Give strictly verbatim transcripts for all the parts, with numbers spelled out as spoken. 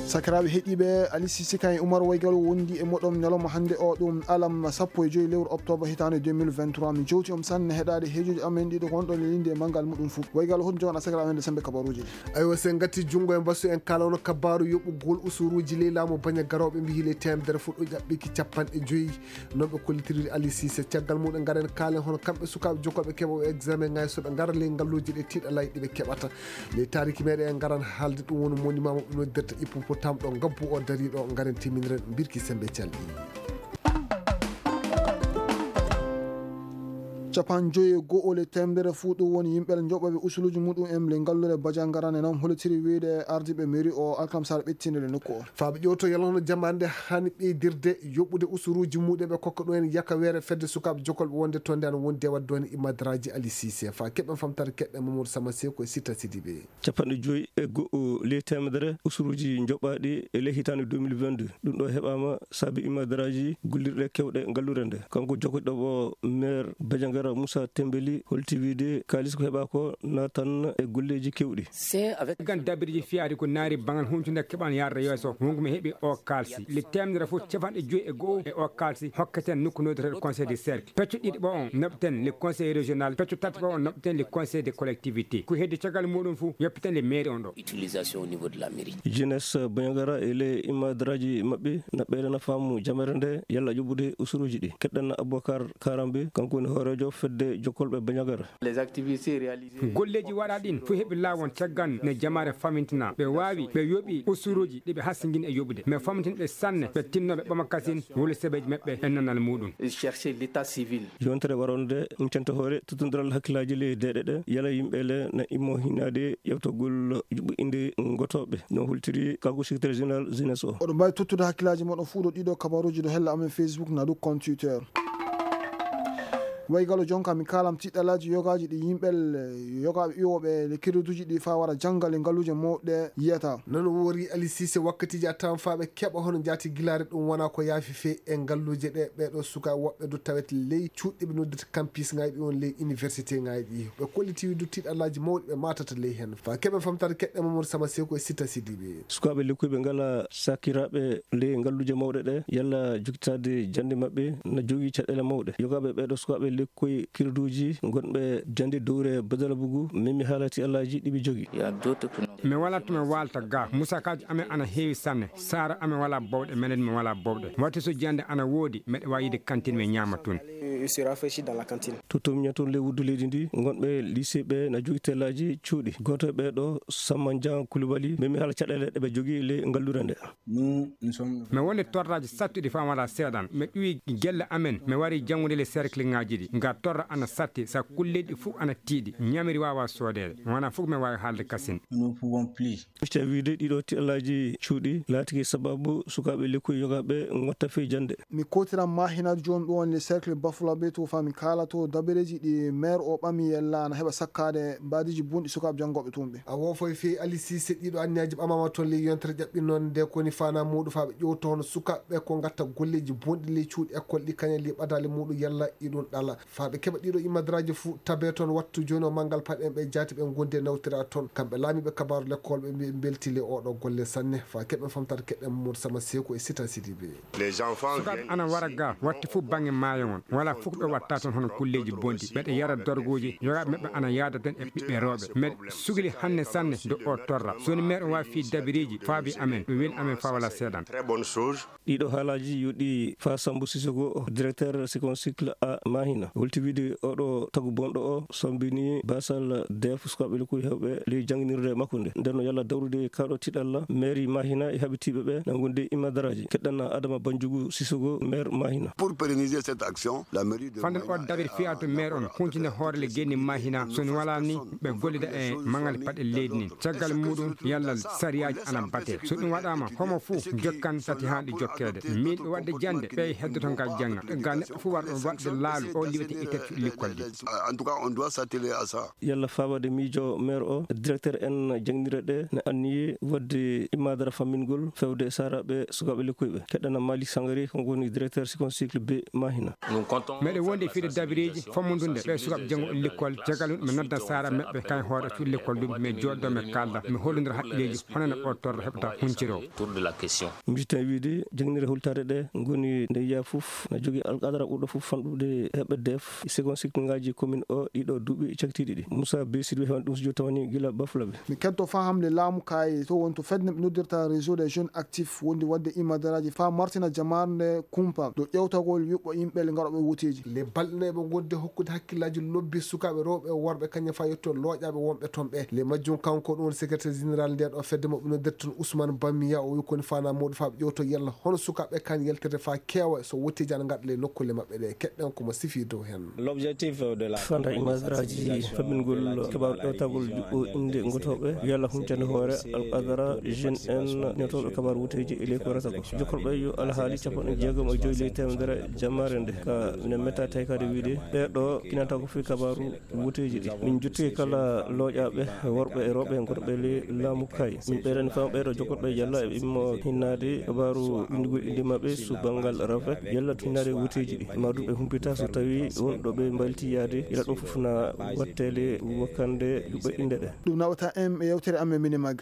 Sakiraaɓe heɗiiɓe, Ali Sisi kan e Umar Waygalo wondi e moɗon ñalawma hannde o, ɗum alam sappo e joy lewru oktoobar hitaande deux mille vingt-trois. Mi jowti on sanne heɗaade heejoji amen ɗiɗo ko wonɗon e linde e manngal muɗum fuu. Waygalo, hoɗum jogoɗaa sakiraaɓe men nde sembe kabaruuji ɗi? Aywa, so en ngatti junngo e mbasu, en kaalano kabaaru yoɓugol usuruuji ley laamu baña garooɓe, mbiyi ley teemedere fuu ɗo ƴaɓɓiki capanɗe joy. Non ɓe kollitiri Ali Sise. Caggal mum, en ngaran kaalen hono kamɓe sukaaɓe jokkoɓe keɓooɓe examen ŋaaji, so ɓe ngara ley ngalluuje ɗe tiiɗalaaji ɗi ɓe keɓata. Ley taariki meɗen, en ngaran haalde ɗum woni monument mo ɓe noddirta hippopotame ɗo ngabbu o darii ɗo. Ngaren timminiren mbirki sembe calɗi. Capanɗe joy e go'o ley teemedere fuu ɗum woni yimɓe joɓɓooɓe usuluuji muɗum en ley ngalluure Bajangara ne non hollitiri wiyde ardiiɓe mairie o alkamsare ɓettinde le nokku o. Faa ɓe ƴeewto yalla hono jamaane nde haani ɓeydirde yoɓude usuruuji muɗum ɓe kokka ɗum en yakaweere fedde sukaaɓe jokolɓe wonde toon nde ana wondi e waɗde ɗoon e Imma Daraaji Ali Sise. Faa keɓen famtaare keɗɗen Mamadou Sama Seko e Sita Sidibe. Capanɗe joy e go'o ley teemedere usuruuji njoɓaaɗi e ley hitaande deux mille vingt-deux. Ɗum ɗo heɓaama sabi Imma Daraaji gollirɗe kewɗe ngalluure nde. Kanko jokkoɗo ɗo maire Bajangara Moussa Tembeli holti wiyde kaalis ko heɓaa ko naatan e golleeji kewɗi. Caggal dabirji fiyaade ko naari baŋal huncunde keɓal yaarde yeeso, wonko mi heɓi o kaalsi. Le teemedere fof capanɗe joy e go'o e o kaalsi hokketen nokku noddeteeɗo conseil du cercle. Peccu ɗiɗi ɓo on noɓten le conseil régional, peccu tati ɓo on noɓten le conseil de collectivité. Ko heddi caggal muɗum fof yoppiten le mairie on ɗo. Utilisation au niveau de la mairie. Jeunesse Bajangara e le Imma Daraaji maɓɓe naɓɓeede na faamu jamere nde yalla yoɓude usuruuji ɗi. Keɗɗen Aboubacar Karambe, kanko woni hooreejo fedde jokkolɓe Bajangara. Les activités réalisées. Golleeji waɗaaɗi ɗin fof heɓi laawol caggal ne jamaare famintina. Ɓe waawi, ɓe yoɓi usuruuji ɗi ɓe hasingini e yoɓude. Mais famintin ɓe sanne, ɓe tinno ɓe ɓama kasin wuli sebeeji maɓɓe e nanal muɗum. Chercher l'état civil. Yontere waronde, incanta hoore tuttundiral hakkillaaji ley deeɗe ɗe, yala yimɓe le na immo hinaade ƴeewtagol yuɓɓinde ngotooɓe. No hultiri kanko secrétaire général jeunesse o. Oɗo mbaawi tottude hakkillaaji moɗon fuu ɗo ɗiɗo kabaruuji ɗo hella amen Facebook na ɗum compte Twitter. Waygalo jonka mi kaalam tiɗɗalaaji yogaaji ɗi yimɓe le-, yogaaɓe iwooɓe le crédituuji ɗi faa wara jannga le ngalluuje mawɗe yiyata. Non woori Ali Sise wakkatiiji a tawan faa ɓe keɓa hono njaati gilaare ɗum wonaa ko yaafi fee e ngalluuje ɗe ɓeeɗo sukaaɓe woɓɓe du tawete ley cuuɗi ɓe noddata campus ŋaaji ɗi on ley université ŋaaji ɗi. Ɓe kolliti du tiɗɗalaaji mawɗi ɓe maatata ley hen. Faa keɓe famtaare keɗɗe Mamadou Sama Seko e Sita Sidibe. Sukaaɓe lekkuɓe ngalaa sakiraaɓe ley ngalluuje mawɗe ɗe, yalla jokkitaade jannde maɓɓe na jogii caɗeele mawɗe. Yogaaɓe ɓeeɗo sukaaɓe lekkoy kirduuji ngonɓe jannde dowre Badala Bugu, memi haala tiɗɗalaaji ɗi ɓe jogii. Mi walaa to mi waalta ga. Musakaaji amen ana heewi sanne. Saara amen walaa bawɗe, menen mi walaa bawɗe. Watti so jannde ana woodi, meɗe waawi yiide kantin mi ñaama tun. To to miña toon ley wuddu leydi ndi, ngonɓe lycée ɓe na jogii tellaaji cuuɗi. Gooto e ɓee ɗo, Samma Njan Kulubali, memi haala caɗeele ɗe ɓe jogii ley ngalluure nde. Mi woni torraaji sattuɗi faa walaa seeɗan. Mi ɗuwi gelle amen. Mi wari janngude le cercle ŋaaji ɗi. Nga torra ana satti, sa kulleeji ɗi fuu ana tiiɗi. Ñamiri waawaa soodeede. Wanaa fof mi waawi haalde kasin. Mista wiide ɗiɗo tiɗalaaji cuuɗi laatike sababu sukaaɓe lekkoy yogaaɓe ngotta fey jannde. Mi kootiran Maahina jooni ɗo woni le cercle Bafulabe to faa mi kaala to dabareeji ɗi maire o ɓami yalla ana heɓa sakkaade mbaadiiji bonɗi sukaaɓe janngooɓe toon ɓe. A woofay fey Ali Siise ɗiɗo anniyaaji ɓamaama toon ley yontere ƴaɓɓi noon nde ko woni faanaa muuɗum faa ɓe ƴeewta hono sukaaɓe ɓe ko ngatta golleeji bonɗi ley cuuɗi ekkol ɗi kañal ley ɓadaali muuɗum yalla iɗum ɗala. Faa ɓe keɓa ɗiɗo imadaraaji fuu tabee toon wattu jooni o manngal paɗen ɓe jaati ɓe ngondi e nawtira toon. Kamɓe laamiiɓe kabaaru lekkool ɓe mbi-, mbeltii ley ooɗoo golle sanne. Faa keɓen famtaade keɗɗen Mamadou Sama Seeku e Sita Sidibe. Sukaaɓe ana wara ga watti fuu baŋŋe maayo ngon. Walaa fuu ko ɓe watta toon hono kulleeji bonɗi. Ɓeɗe yara dorgooji, yogaaɓe maɓɓe ana yaada toon e ɓiɓɓe rewɓe. Meɗe sugli hanne sanne dow oo torra. So woni meer on waawi fii dabireeji faabi amen, ɗum weli amen faa walaa seeɗan. Ɗiɗo haalaaji yoɗi faa Sambu Sisoko, directeur Second Cycle A Mahina. Holti wiide oɗo tagu bonɗo o sombini baasal deef sukaaɓe lekkoy heewɓe ley jannginirde makko nde. Nden no yalla dawrude kaaɗo tiɗalla mairie Mahina e haɓitiiɓe ɓe na ngondi e imadaraaji. Keɗɗan Adama Banjugu Sisoko, maire Mahina. Pour pérenniser cette action, la mairie de Fanden o dabiri fiyaa to maire on huntinde hoore le geni Mahina. So ni walaa ni, ɓe gollida e maŋal paɗe leydi nin. Caggal muɗum, yalla sariyaaji ana batee. So ɗum waɗaama, homo fuu jokkan tati haa ɗi jokkeede. Miin ɓe waɗde jannde, ɓe heddoto ngal jannga. Ga neɗɗo fuu warɗo waɗde laalu, o liwete ittete likkol ɗi. En tout cas, on doit s'atteler à ça. Yalla faabaade miijo maire o, directeur en jannginirɗe ɗe ne anniyi waɗde imaadara fammingol fewde e saaraaɓe sukaaɓe lekkoy ɓe. Keɗɗana Malik Sangari, kanko woni directeur Second Cycle B Mahina. Meɗen wondi e fiyde dabireeji fommondunde ɓee sukaaɓe jannguɓe lekkol. Caggal ɗum, mi nodda saara maɓɓe, kañ hoore cuuɗi lekkol ɗum, mi jooɗodoo, mi kaalda, mi hollondira haqqilleeji, hono no oo torra heɓata hunciroo. Mi jittan wiide, jannginirɗe hultaade ɗee ngoni nde yiyaa fof na jogii alqadara ɓurɗo fof fanɗude heɓɓe def e seconde cycle ngaaji commune o ɗiɗo duuɓi cakitiiɗi ɗi. Moussa Bey Sidibé heɓani ɗum so jooni tawani gila Bafulabe. Mi keɗto fahamde laamu kaye to woni to fedde nde ɓe noddirta Réseau des Jeunes Actifs wondi waɗde imadaraaji faa martina jamaare nde kumpa dow ƴeewtagol yuɓɓo yimɓe le ngarooɓe woteeji. Le balɗe nayi ɓe ngonde hokkude hakkillaaji lobbi sukaaɓe rewɓe e worɓe kañum faa yetto looƴaaɓe wonɓe toon ɓee. Le majjum kanko ɗum woni secrétaire général ndee ɗoo fedde mo ɓe noddirta toon Ousmane Bamiya, o wi ko woni faanaa mawɗo faa ɓe ƴeewto yalla hono sukaaɓe ɓee kaani yaltirde faa keewa so woteeji ana ngaɗa le nokkuule maɓɓe ɗee. Keɗɗen ko mo sifii dow heen. Fanda imadaraaji faɓɓingol keɓaaru ƴeewtagol juɓɓo innde ngotooɓe yalla huncande hoore alqadara jeune en ñotooɓe kabaaru woteeji e ley ko warata ko. Jokkorɓe yo alhaali capanɗe jeegom e joy ley teemedere jammaare nde ka minen metta taykaade wiide ɓee ɗoo kinanta ko fii kabaaru woteeji ɗi. Min jottike kala looƴaaɓe worɓe e rewɓe gonɓe ley laamu kaye. Min ɓeydani fama ɓee ɗoo jokkorɓe yalla eɓe immo hinnaade kabaaru winndugol innde maɓɓe so banngal rafe yalla to hinnaade woteeji ɗi. Maa ɗum ɓe humpita so tawii won ɗo ɓe mbayliti yaade, yalla ɗum fof na waɗtee le wakkande yuɓɓe innde ɗe. Ɗum nawata en e yewtere amen Minimag.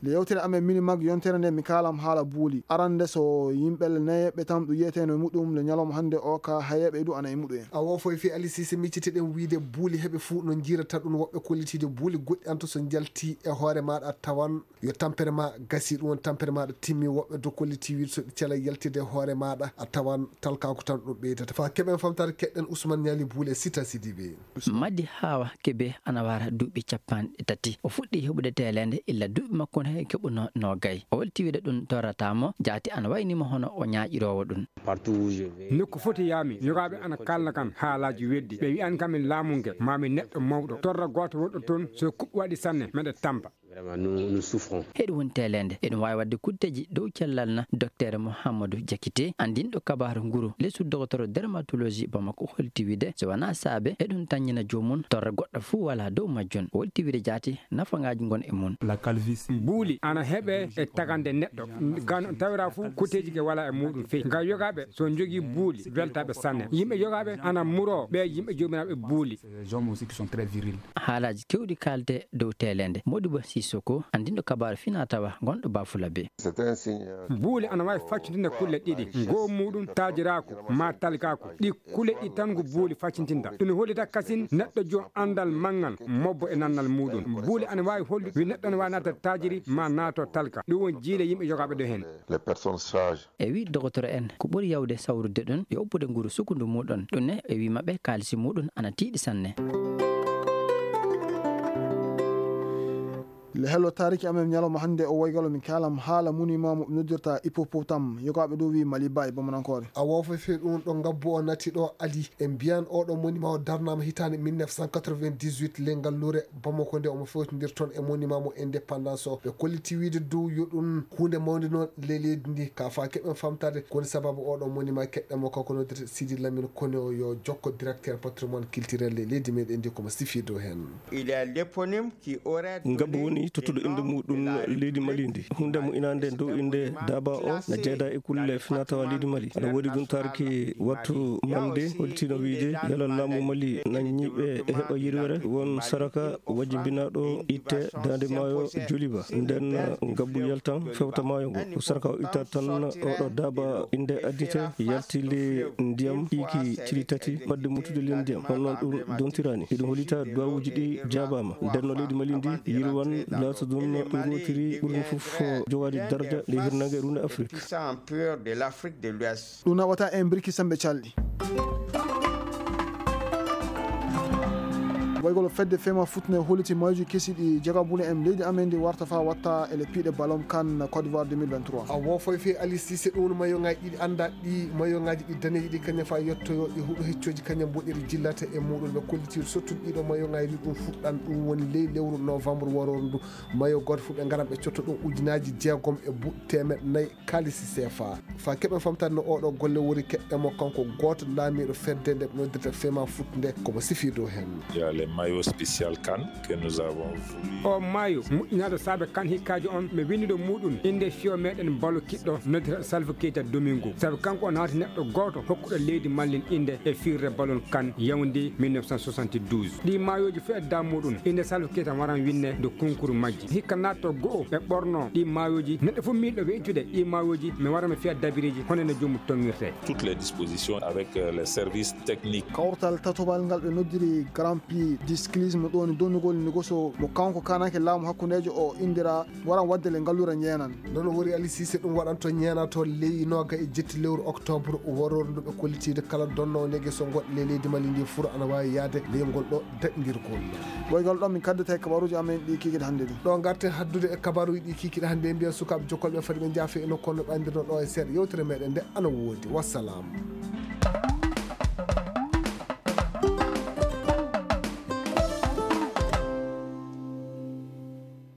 Nde yewtere amen Minimag yontere nde mi kaalam haala buuli. Arande so yimɓe le nayeɓe tan ɗum yiyeteno e muɗum le ñalawma hannde o ka hayeɓe ɗum ana e muɗum en. A wofo e fii Ali Sise miccitiɗen wiide buuli heɓe fuu no njiirata ɗum woɓɓe kollitiiɗe buuli goɗɗi an to so njalti e hoore maaɗa a tawan yo tampere ma gasi ɗum woni tampere maaɗa timmi woɓɓe dow kollitiiɗe wiide so ɗi cela yaltide e hoore maaɗa a tawan talkaaku tan ɗum ɓeydata. Faa keɓen famtaade keɗɗen Ousmane Ñaali buuli e Sita Sidibe. Madi Hawa Kebe ana wara duuɓi cappanɗe tati. O fuɗɗii heɓude teeleende illa duuɓi makko no keɓunoo noogay. O holti wiide ɗum torrataa mo, jaati ana wayni mo hono o ñaaƴiroowo ɗum. Nokku foti yaami, yogaaɓe ana kaalna kam haalaaji weddi. Ɓe wi'an kam min laamu nge, maa mi neɗɗo mawɗo. Torra gooto wonɗo toon, so kuɓɓi waɗi sanne, meɗe tampa. Vraiment, nous, nous souffrons. Heɗum woni teeleende. Eɗum waawi waɗde kutteeji dow cellal na. Dokteer Mouhamadou Diakité, anndinɗo kabaaru nguru, lesu dogotoro dermatologie Bamako, holti wiide so wanaa saabe, eɗum tanñina joomum, torra goɗɗo fuu walaa dow majjum. O holti wiide jaati, nafangaaji ngon e mum. La calvitie. Buuli ana heɓee e tagande neɗɗo. Gano tawira fuu kutteeji ke walaa e muɗum fey. Nga yogaaɓe so njogii buuli, weltaaɓe sanne. Yimɓe yogaaɓe ana muroo ɓe yimɓe joomiraaɓe buuli. Ces hommes aussi qui sont très virils. Haalaaji keewɗi kaalte dow teeleende. Modibo Sissoko, anndinɗo kabaaru finaa tawa, gonɗo Bafulabe. C'est un signe, euh, Buuli ana waawi faccintinde kulle ɗiɗi. Ngoo muuɗum taajiraaku maa talikaaku. Ɗi kulle ɗiɗi tan ngu buuli faccintinta. Ɗum hollita kasin neɗɗo jo anndal manngal, mobbo e nannal muuɗum. Buuli ana waawi hollude wi neɗɗo ana waawi naata taajiri maa naato talka. Ɗum woni jiile yimɓe yogaaɓe ɗo heen. Les personnes sages. E wi dogotoro en, ko ɓuri yawde sawrude ɗum, yo oppude nguru sukundu muɗum. Ɗum ne, e wi maɓɓe, kaalisi muɗum ana tiiɗi sanne. Le hello taariki amen ñalawma hannde o woygalo min kaalam haala monument mo ɓe noddirta hippopotame, yogaaɓe ɗo wi Maliba e Bamanankoore. A wofo fii ɗum ɗo ngabbu o nati ɗo Ali. E mbiyan oɗo monument o darnaama hitaande mille neuf cent quatre-vingt-dix-huit le ngalluure Bamako nde omo fewtindir toon e monument mo indépendance o. Ɓe kolliti wiide dow yo ɗum huunde mawnde noon ley leydi ndi. Ka faa keɓen famtaade ko woni sababu oɗo monument keɗɗen mo kanko noddirte Sidi Lamine Kone o yo jokko directeur patrimoine culturel ley leydi meɗen ndi komo sifii dow heen. Il y a l'éponyme qui aurait Ngabbu donné woni tottuɗo le innde nom muɗum de la leydi Mali ndi. République Huunde mo inaande dow innde Daba o na jeedaa e kulle finaa-tawaa leydi Mali. Aɗa woodi ɗum taarki wattu mande hollitino wiide yalla laamu Mali na ñiiɓe e heɓa yirwere won saraka wajjibinaaɗo itte daande maayo Joliba. Nden ngabbu yaltan fewta maayo ngo. Ko saraka o itta tan oɗo Daba innde addite yalti le ndiyam ɗiiki cili tati fadde mutude le ndiyam. Hono noon ɗum dontiraani. Hiɗum hollita duwawuuji ɗi jaabaama. Nden no leydi Mali ndi yirwan laata ɗum ɗum wootiri ɓurɗum fof jogaade darja ley hirnaange e runde Afrik. Puissant empire de l'Afrique de l'Ouest. Ɗum naɓata en birki sembe calɗi. Waygol fedde fema futne holliti mayuuji kesi ɗi jagabule en leydi amen ndi warta faa watta e le piiɗe balom kan Côte d'Ivoire deux mille vingt-trois. A wofo e fii Ali Sise ɗum woni mayoŋaaji ɗiɗi anndaa ɗi mayoŋaaji ɗi daneeji ɗi kañum faa yettoyoo ɗi huɗo heccooji kañum mboɗeeri jillata e muɗum ɓe kollitiiɗo sottude ɗiɗo mayoŋaaji ɗi ɗum fuɗɗan ɗum woni ley lewru novembre warooru ndu. Mayo gooto fof ɓe ngaran ɓe cotta ɗum ujunaaji jeegom e buɗ teemeɗɗe nayi kaalisi seefa. Faa keɓen famtaade no ooɗoo golle woni keɓɓe mo kanko gooto laamiiɗo fedde nde ɓe noddirta fema fut nde komo sifii dow heen. Maillot spécial CAN que nous avons voulu. Oo maayo moƴƴinaaɗo saabe CAN hikkaajo on, mi winndi ɗo muuɗum innde fiyoowo meɗen balo kiɗɗo noddiraaɗo Salif Keita Domingo. Sabi kanko o naati neɗɗo gooto hokkuɗo leydi Mallin innde e fiirde balon CAN Yaoundé mille neuf cent soixante-douze. Ɗii maayooji fuu e daamuɗum innde Salif Keita waran winndee dow kunkuru majji. Hikka naatto go'o ɓe ɓornoo ɗii maayooji. Neɗɗo fuu miilɗo we'itude ɗii maayooji, mi wara mi fiya dabireeji hono no joomum tonngirtee. Toutes les dispositions avec euh, les services techniques. Kawtal tatobal ngal ɓe noddiri Grand Prix du cyclisme ɗo woni donnugol nigoso mo kanko kaananke laamu hakkundeejo o inndiraa waran waɗde le ngalluure ñeenan. Nden o wori Ali Siise ɗum waɗanto ñeenato ley nooga e jetti lewru octobre waroore ndu ɓe kollitiide kala donnoowo negeso ngoɗɗo ley leydi Mali ndi fuu ana waawi yahde ley ngol ɗo daɗndirgol. Woygal ɗon min kaddata e kabaruuji amen ɗi kiikiiɗe hannde ɗi. Ɗo ngarten haddude e kabaruuji ɗi kiikiiɗe hannde, mbiyen sukaaɓe jokkolɓe fadi ɓe njaafe e nokku on no ɓayndirno ɗo e seeɗa yewtere meɗen nde ana woodi. Wassalaamu.